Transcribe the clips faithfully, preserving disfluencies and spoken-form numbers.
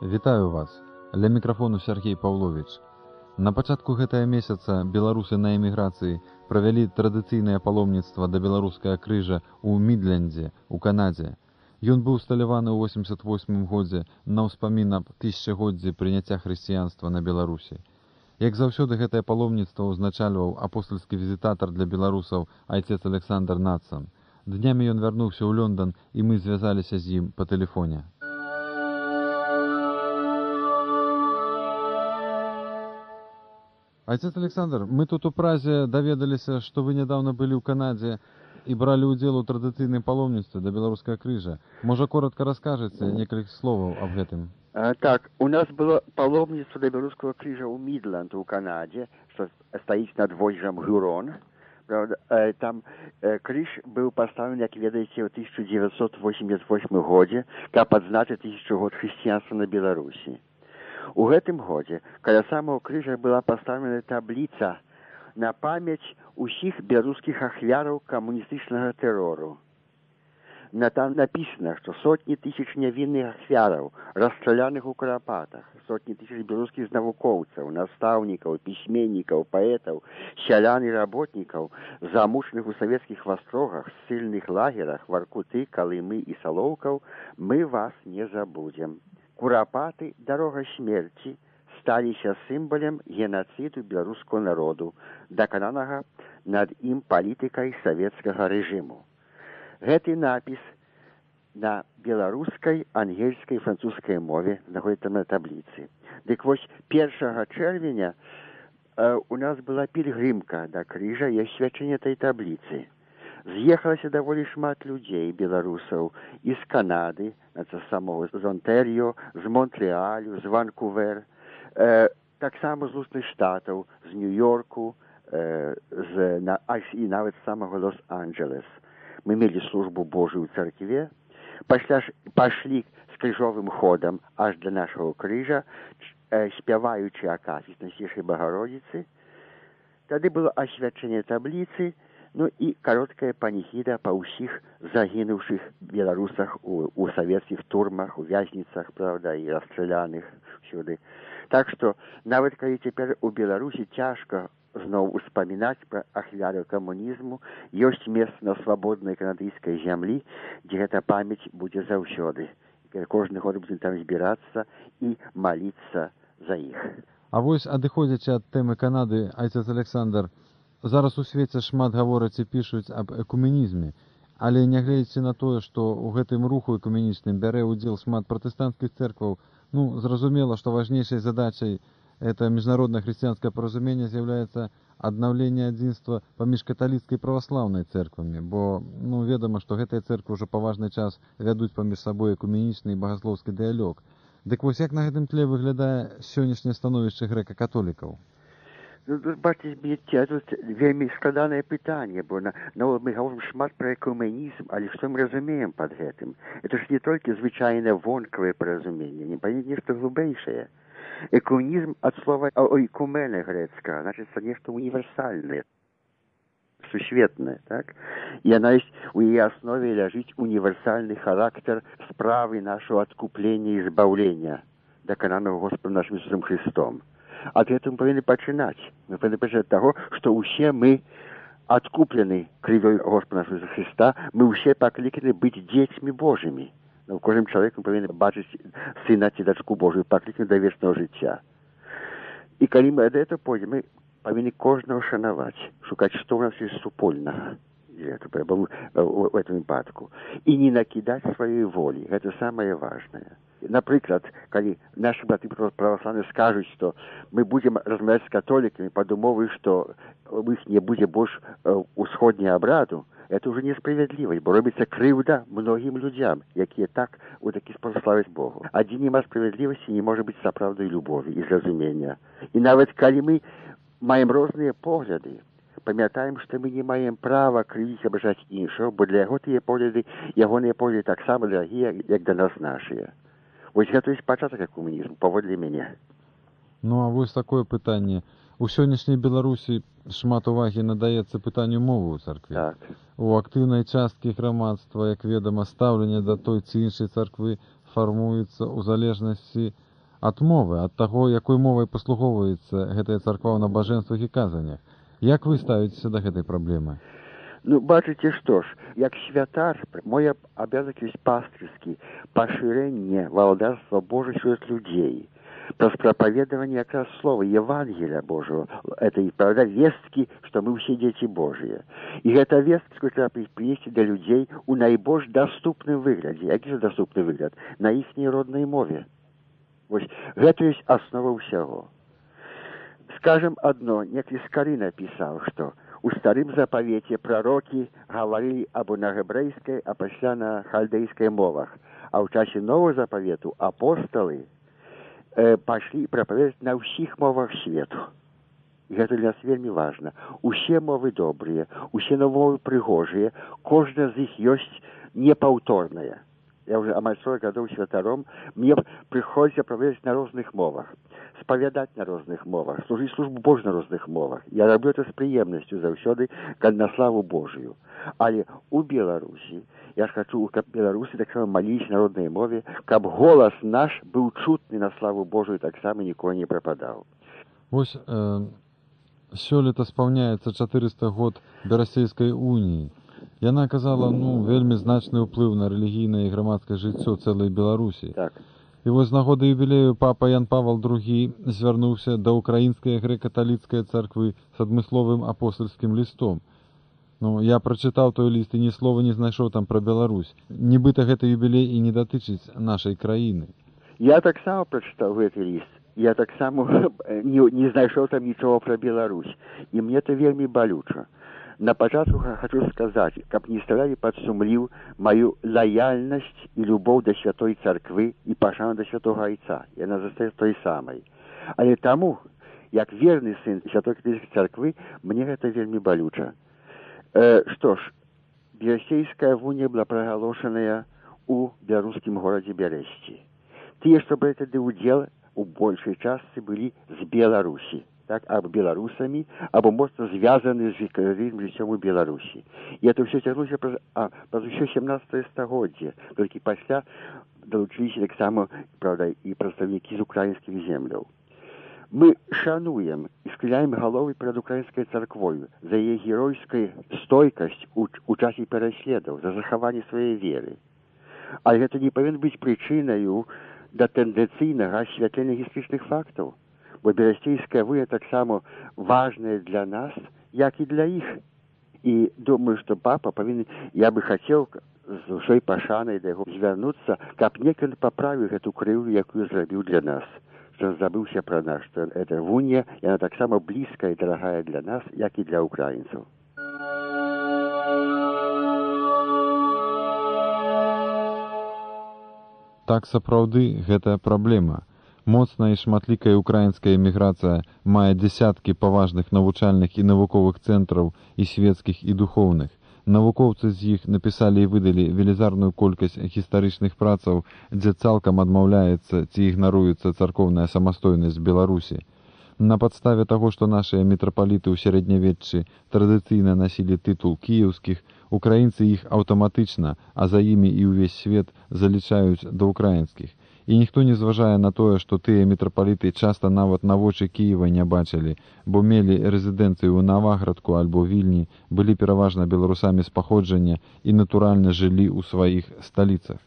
Вітаю вас. Ля мікрафону Сергей Павлович. На пачатку гэтага месяца беларусы на эміграцыі правялі традыцыйнае паломніцтва да беларускага крыжа ў Мідлендзе, у Канадзе. Ён быў усталяваны ў восемьдесят восьмым годзе на ўспамін аб тысячагоддзі прыняцця хрысціянства на Беларусі. Як заўсёды гэтае паломніцтва ўзначальваў апостальскі візітатар для беларусаў айцец Александр Нацан. Днямі ён вярнуўся ў Лёндан, і мы звязаліся з ім па тэлефоне. Отец Александр, мы тут у Празе даведаліся, што вы нядаўна былі ў Канадзе і бралі ўдзел у традыцыйным паломніцтве да беларускага крыжа. Можа, коротко раскажаце некалькі словаў аб гэтым? А, так, у нас было паломніцтва да беларускага крыжа ў Мідленд у Канадзе, што стаіць над возерам Гюрон. Правда, там э, крыж быў паставлены, як ведаеце, ў тысяча дзевяцьсот восемьдесят восьмым годзе, каб адзначыць тысячу год хрысціянства на Беларусі. У гэтым годзе каля самого крыжа была паставлена табліца на памяць усіх беларускіх ахвяраў камуністычнага тэрору. На там напісана, што сотні тысяч нявінных ахвяраў, расстраляных у Карапатах, сотні тысяч беларускіх навукоўцаў, настаўнікаў, пісьменнікаў, паэтаў, сялян і работнікаў, замучаных у савецкіх вастрогах, ссыльных лагерах, Воркуты, Калымы і Салоўкаў, мы вас не забудзем. Курапаты, дарога смерці, сталіся сімвалем генацыду беларускага народу, дакананага над ім палітыкай савецкага рэжыму. Гэты напіс на беларускай, ангельскай і французскай мове знаходзіцца на табліцы. Дык вось першага чэрвеня э, у нас была пільгрымка да крыжа і асвячэнне той табліцы. З'ехалася даволі шмат людзей, беларусаў, з Канады, з самого з Онтаріо, з Монтреалю, з Ванкувер, э, таксама з Лусных Штатаў, з Нью-Йорку, э, з, на, і нават з самого Лос-Анджелес. Мы мелі службу Божую ў царкве, пасля ж пашлі з крыжовым ходам аж да нашага крыжа, э, спяваючы акафіст Найсвятейшай Багародзіцы. Тады было асвячэнне табліцы, ну і кароткая паніхіда па ўсіх загінуўшых беларусах у, у савецкіх турмах, у вязніцах, правда, і расстраляных всюды. Так што, нават калі цяпер у Беларусі цяжка зноў успамінаць пра ахвяры камунізму, ёсць месца на свабоднай канадыйскай зямлі, дзе гэта памяць будзе заўсёды. Кожны год будзем там збірацца і маліцца за іх. А вось, адыходзячы ад тэмы Канады, айцец Александр, зараз у свеце шмат гавораць і пішуць аб экуменізме, але нягледзячы на тое, што ў гэтым руху экуменічным бярэ ўдзел шмат пратэстанцкіх церкваў, ну, зразумела, што важнейшай задачай это міжнароднае хрысціянскае паразуменне з'яўляецца аднаўленне адзінства паміж каталіцкай і праваслаўнай церквамі, бо, ну, ведама, што гэтыя церквы ўжо па важны час вядуць паміж сабой экуменічны і багаслоўскі дыялог. Дык вось як на гэтым тле выглядае сённяшняе становішча грэка-католікаў? Ну, бачыце, тут вельмі складанае пытанне, бо на, ну, мы гаворым шмат пра экуменізм, але што мы разумеем пад гэтым? Это ж не толькі звычайнае вонкавае паразуменне, не паняць нешта глыбэйшае. Экуменізм ад слова ойкумене грэцкага, значыцца нешта універсальнае, сусветнае, так? І яна ёсць, у яе аснове ляжыць універсальны характар справы нашого адкуплення і збаўлення, дакананага Господам нашым Ісусам Христом. Ад гэтым мы павінны пачынаць. Мы павінны пачынаць таго, што ўсе мы адкуплены крывёй Господа нашага Христа, мы ўсе пакліканы быць дзецьмі Божымі. У кожным чалавеку павінны бачыць сына ці дачку Божую, пакліканы да вечнага жыцця. І калі мы ад гэтага пойдзем, мы павінны кожнага шанаваць, шукаць, што ў нас ёсць супольнага у гэтым выпадку. І не накідаць сваёй волі. Гэта самае важнае. Напрыклад, калі нашы браты праваслаўныя скажуць, што мы будзем размаўляць з католікамі пад умовай, што у іх не будзе больш усходняга абраду, это ўжо несправядлівасць, бо робіцца крыўда многім людзям, якія так у такі спосаб славяць Богу. А дзе няма справядлівасці, не можа быць сапраўднай любові і зразумення. І нават калі мы маем розныя погляды, памятаем, што мы не маем права крывіць абражаць іншого, бо для яго тыя погляды, ягоныя погляды таксама дарагія, як да нас нашыя. Вось гэта ёсць пачатак экуменізму, паводле мяне. Ну, а вось такое пытанне. У сённяшняй Беларусі шмат увагі надаецца пытанню мовы ў царкве. Так. У актыўнай часткі грамадства, як ведама, стаўленне да той ці іншай царквы фармуецца ў залежнасці ад мовы, ад таго, якой мовай паслугоўваецца гэтая царква ў набажэнствах і казаннях. Як вы ставіцеся да гэтай праблемы? Ну, бачыце, што ж, як святар, мой абавязак ёсць пастырскі, пашырэнне валадарства Божых сярод людзей, праз прапаведаванне якраз слова Евангелия Божьего, этой, правда, весткі, што мы ўсе дзеці Божыя. І гэта вестку трэба прынесці да людзей у найбольш даступным выглядзе. Які ж даступны выгляд? На іхняй роднай мове. Вось, гэта ёсць аснова ўсяго. Скажем адно, некалі Скары напісаў, што у старым запавеце прарокі гаварылі або на габрэйскай, а пасля на халдейскай мовах. А ў часе нового запавету апосталы э, пашлі прапаведаць на ўсіх мовах свету. І гэта для нас вельмі важна. Усе мовы добрыя, усе мовы прыгожыя, кожная з іх ёсць непаўторная. Я уже амаль сорок гадоў святаром, мне прыходзіцца прапаведаць на розных мовах, спавядаць на розных мовах, служыць службу Божью на розных мовах. Я раблю это з прыемнасцю заўсёды, на славу Божию. Але у Беларусі я ж хачу, каб беларусы таксама маліліся на роднай мове, каб голас наш быў чутны на славу Божию, таксама ніколі не прападаў. Вось э, сёлета спаўняецца чатырыста год Берасцейскай уніі. Яна аказала, ну, вельмі значны ўплыў на рэлігійнае і грамадскае жыццё цэлай Беларусі. Так. І вось з нагоды юбілею папа Ян Павел другі звярнуўся да ўкраінскай грэка-каталіцкай царквы з адмысловым апостальскім лістом. Ну, я прачытаў той ліст і ні слова не знайшоў там пра Беларусь. Нібыта гэты юбілей і не датычыць нашай краіны. Я таксама прачытаў гэты ліст. Я таксама не, не знайшоў там нічога пра Беларусь. І мне это вельмі балюча. На пачатку хочу сказаць, каб не ставялі пад сумліў маю лаяльнасць і любоў да святой царквы і пашану да святога айца. Яна застаецца той самай. Але таму, як верны сын святой каталіцкай царквы, мне гэта вельмі балюча. Э, што ж, Берасцейская вуня была прагалошаная у беларускім горадзе Бярэсці. Тыя, што бралі тады ўдзел, у большай частцы былі з Беларусі. Так, або беларусамі, або моцна звязаны з вековым жыццём у Беларусі. І это ўсё цягнулася праз, а, праз усё сямнаццатае стагоддзе. Толькі пасля далучыліся таксама, правда, і прадстаўнікі з украінскіх земляў. Мы шануем і схіляем галовы перад украінскай царквою за яе геройскую стойкасць у, у часе пераследаў, за захаванне сваёй веры. Але гэта не павінна быць прычынаю да тэндэнцыйнага асвятлення гістарычных фактаў. Бо Берасцейская вуня таксама важная для нас, як і для іх. І думаю, што папа павінен, я бы хацеў з усёй пашанай да яго звярнуцца, каб некалі паправіў гэту крыўду, якую зрабіў для нас. Што забыўся пра нас, што эта вуня, яна таксама блізкая і дарагая для нас, як і для украінцаў. Так сапраўды гэтая праблема. Моцная і шматлікая украінская эміграцыя мае дзесяткі паважных навучальных і навуковых цэнтраў і свецкіх і духоўных. Навукоўцы з іх напісалі і выдалі велізарную колькасць гістарычных працаў, дзе цалкам адмаўляецца ці ігнаруецца царкоўная самастойнасць Беларусі. На падставе таго, што нашыя мітрапаліты ў сярэднявеччы традыцыйна насілі тытул кіеўскіх, украінцы іх аўтаматычна, а за імі і ўвесь свет залічаюць да украінскіх. І ніхто не зважае на тое, што тыя мітрапаліты часта нават на вочы Кіева не бачылі, бо мелі рэзідэнцыю ў Наваградку альбо Вільні, былі пераважна беларусамі з паходжання і натуральна жылі ў сваіх сталіцах.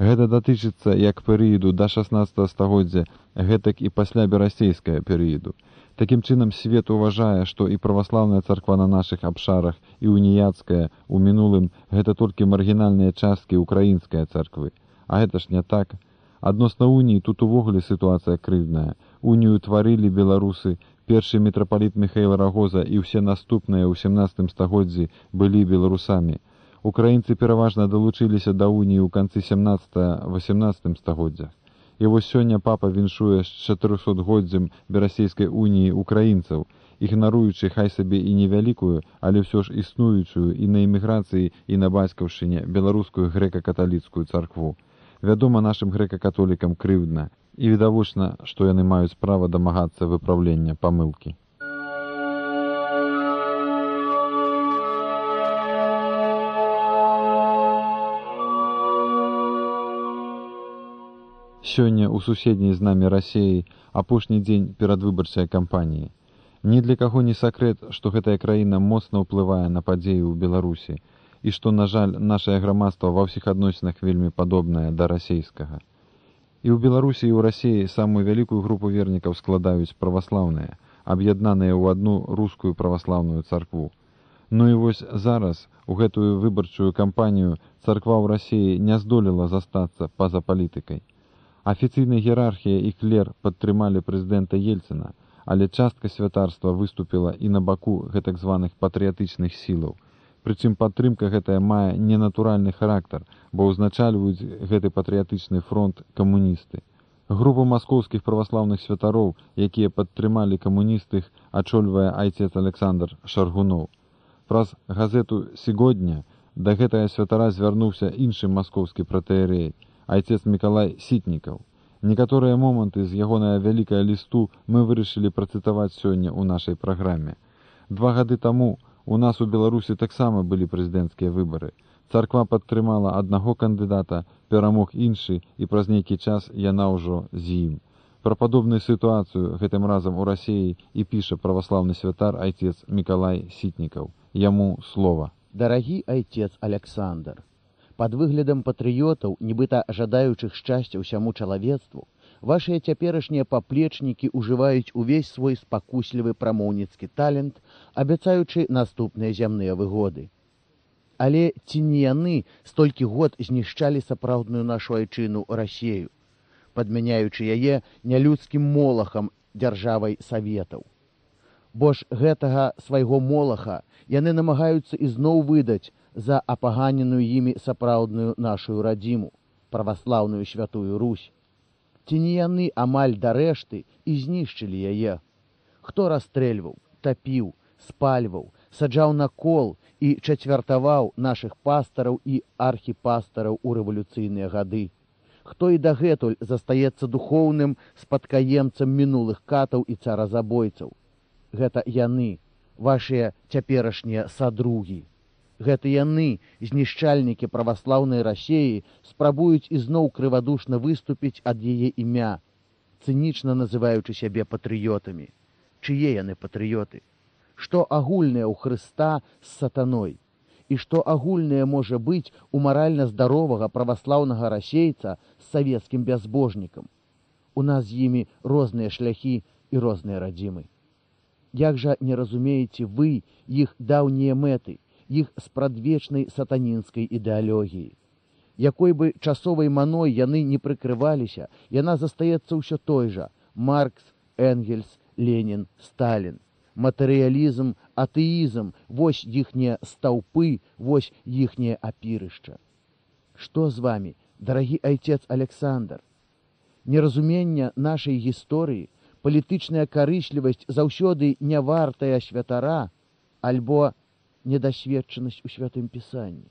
Гэта датычыцца як перыяду да шаснаццатага стагоддзя, гэтак і пасля берасцейскага перыяду. Такім чынам свет уважае, што і праваслаўная царква на нашых абшарах, і уніяцкая ў мінулым гэта толькі маргінальныя часткі украінскай царквы. А гэта ж не так. Адносна уніі тут увогуле сітуацыя крыўдная. Унію тварылі беларусы, першы мітрапаліт Міхаіл Рагоза і ўсе наступныя ў сямнаццатым стагоддзі былі беларусамі. Украінцы пераважна далучыліся да уніі ў канцы сямнаццатага-васямнаццатым стагоддзях. І вось сёння папа віншуе з чатырохсотгоддзям Берасцейскай уніі украінцаў, ігнаруючы хай сабе і невялікую, але ўсё ж існуючую і на эміграцыі, і на бацькаўшчыне беларускую грэка-каталіцкую царкву. Вядома, нашым грэка-католікам крыўдна, і відавочна, што яны маюць права дамагацца выпраўлення памылкі. Сёння ў суседняй з намі Расіі апошні дзень перадвыбарчай кампаніі. Ні для каго не сакрэт, што гэтая краіна моцна ўплывае на падзеі ў Беларусі і што, на жаль, нашае грамадства ва ўсіх адносінах вельмі падобнае да расейскага. І ў Беларусі і ў Расіі самую вялікую групу вернікаў складаюць праваслаўныя, аб'яднаныя ў адну рускую праваслаўную царкву. Ну і вось зараз, у гэтую выбарчую кампанію, царква ў Расіі не здолела застацца па-за палітыкай. Афіцыйная іерархія і клер падтрымалі прэзідэнта Ельцына, але частка святарства выступіла і на баку гэтак званых патрыятычных сілаў. Прычым падтрымка гэтая мае ненатуральны характар, бо ўзначальваюць гэты патрыятычны фронт камуністы. Групу маскоўскіх праваслаўных святароў, якія падтрымалі камуністых, ачольвае айцец Александр Шаргуноў. Праз газету «Сегодня» да гэтага святара звярнуўся іншы маскоўскі пратэерей, айцец Мікалай Сітнікаў. Некаторыя моманты з ягонага вялікага лісту мы вырашылі працытаваць сёння ў нашай праграме. Два гады таму у нас у Беларусі таксама былі прэзідэнцкія выбары. Царква падтрымала аднаго кандыдата, перамог іншы, і праз нейкі час яна ўжо з ім. Пра падобную сітуацыю гэтым разам у Расіі і піша праваслаўны святар айцец Мікалай Сітнікаў. Яму слова. Дарагі айцец Александр, пад выглядам патрыётаў, нібыта жадаючых шчасця ўсяму чалавецтву, вашыя цяперашнія паплечнікі ўжываюць увесь свой спакуслівы прамоўніцкі талент, абяцаючы наступныя зямныя выгоды. Але ці не яны столькі год знішчалі сапраўдную нашу айчыну Расею, падмяняючы яе нялюдскім молахам дзяржавай саветаў? Бо ж гэтага свайго молаха яны намагаюцца ізноў выдаць за апаганеную імі сапраўдную нашу радзіму, праваслаўную святую Русь. Ці не яны амаль да рэшты і знішчылі яе? Хто расстрэльваў, тапіў, спальваў, саджаў на кол і чацвяртаваў нашых пастараў і архіпастараў у рэвалюцыйныя гады? Хто і дагэтуль застаецца духоўным спадкаемцам мінулых катаў і царазабойцаў? Гэта яны, вашыя цяперашнія садругі. Гэта яны, знішчальнікі праваслаўнай Расеі, спрабуюць ізноў крывадушна выступіць ад яе імя, цынічна называючы сябе патрыётамі. Чые яны патрыёты? Што агульнае ў Хрыста з сатаной? І што агульнае можа быць у маральна здаровага праваслаўнага расейца з савецкім бязбожнікам? У нас з імі розныя шляхі і розныя радзімы. Як жа не разумееце вы іх даўнія мэты, іх спрадвечнай сатанінскай ідэалогіі? Якой бы часовай маной яны не прыкрываліся, яна застаецца ўсё той жа: Маркс, Энгельс, Ленін, Сталін. Матэрыялізм, атэізм – вось іхнія стаўпы, вось іхняе апірышча. Што з вамі, дарагі айцец Александр? Неразумення нашай гісторыі, палітычная карыслівасць заўсёды не вартая святара, альбо недасведчанасць у святым пісанні?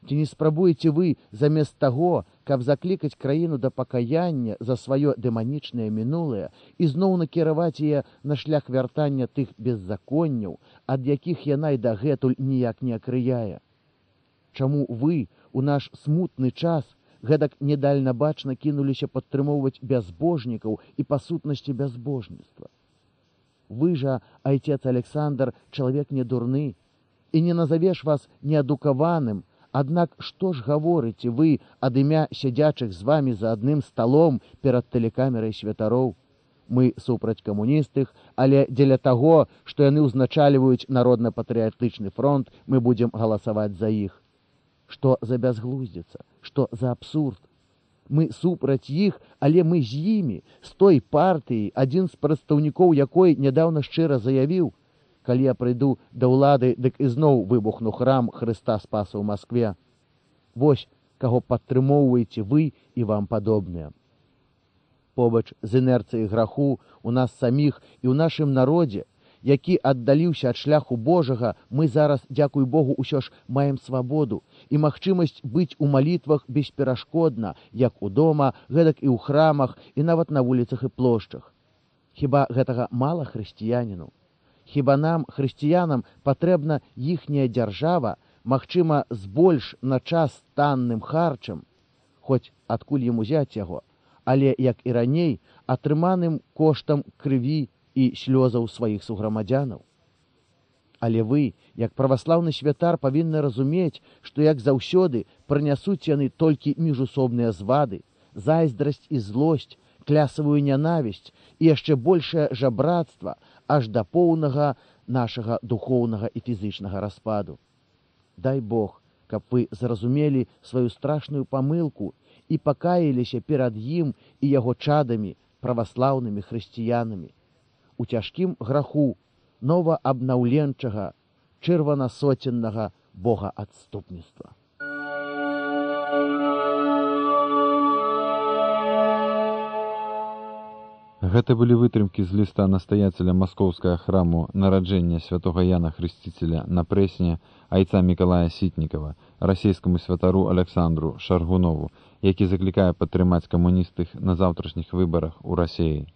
Ці не спрабуеце вы, замест таго, каб заклікаць краіну да пакаяння за сваё дэманічнае мінулае, ізноў накіраваць яе на шлях вяртання тых беззаконняў, ад якіх яна і дагэтуль ніяк не акрыяе? Чаму вы у наш смутны час гэтак недальнабачна кінуліся падтрымоўваць бязбожнікаў і па сутнасці бязбожніцтва? Вы жа, айцец Александр, чалавек не дурны, і не назавеш вас неадукаваным. Аднак што ж гаворыце вы ад імя сядзячых з вамі за адным сталом перад тэлекамерай святароў? Мы супраць камуністых, але дзеля таго, што яны ўзначальваюць народна-патрыятычны фронт, мы будзем галасаваць за іх. Што за бязглуздзіца? Што за абсурд? Мы супраць іх, але мы з імі, з той партыі, адзін з прадстаўнікоў якой нядаўна шчыра заявіў: калі я прыйду да ўлады, дык ізноў выбухну храм Хрыста Спаса ў Маскве. Вось каго падтрымоўваеце вы і вам падобныя. Побач з інерцыяй граху у нас саміх і ў нашым народзе, які аддаліўся ад шляху Божага, мы зараз, дзякуй Богу, усё ж маем свабоду і магчымасць быць у малітвах бесперашкодна, як у дома, гэтак і ў храмах, і нават на вуліцах і плошчах. Хіба гэтага мала хрысціяніну? Хіба нам, хрысціянам, патрэбна іхняя дзяржава, магчыма, з больш на час танным харчам, хоць адкуль ім узяць яго, але, як і раней, атрыманым коштам крыві і слёзаў сваіх суграмадзянаў. Але вы, як праваслаўны святар, павінны разумець, што, як заўсёды, прынясуць яны толькі міжусобныя звады, зайздрасць і злосць, клясавую нянавісць і яшчэ большае жабрацтва аж да поўнага нашага духоўнага і фізычнага распаду. Дай Бог, каб вы зразумелі сваю страшную памылку і пакаяліся перад ім і яго чадамі, праваслаўнымі хрысціянамі, у цяжкім граху новаабнаўленчага, чырванасоценнага богаадступніцтва. Гэта былі вытрымкі з ліста настаяцеля маскоўскага храму нараджэння святога Яна Хрысціцеля на Прэсне айца Мікалая Сітнікава, расійскаму святару Александру Шаргунову, які заклікае падтрымаць камуністых на заўтрашніх выбарах у Расіі.